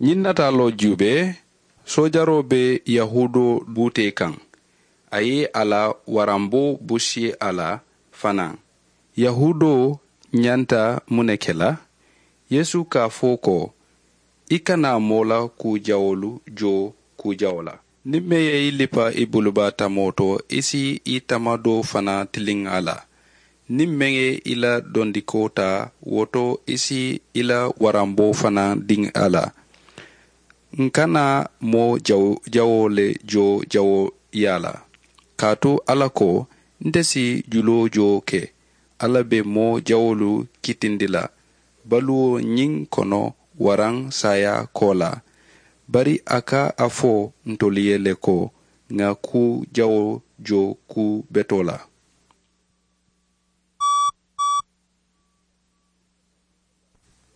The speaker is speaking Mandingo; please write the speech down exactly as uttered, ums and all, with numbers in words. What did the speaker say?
Ñiŋ nataaloo juubee, soojaroo be yahuudoo buutee kaŋ. A ye a la waramboo busi a la fanaa. Yahuudoo ñanta muŋ ne ke la? Yeesu ka a fo ko, i kana moo la kuu jawoolu joo kuu jawo la. Niŋ meŋ ye i lipa i bulubaa tamoo to, i si i tamadoo fanaa tiliŋ a la. Niŋ meŋ ye i la dondikoo taa, wo to i si i la waramboo fanaa diŋ a la. N kana moo jawoo le joo jawoo yaa la. Kaatu alla ko, nte si juloo joo ke. Alla be moo jawoolu kitindi la baluwo ñiŋ kono, waraŋ saayaa koolaa. Bari a ka a fo ntolu ye le ko, ŋa kuu jawoo joo kuu betoo la.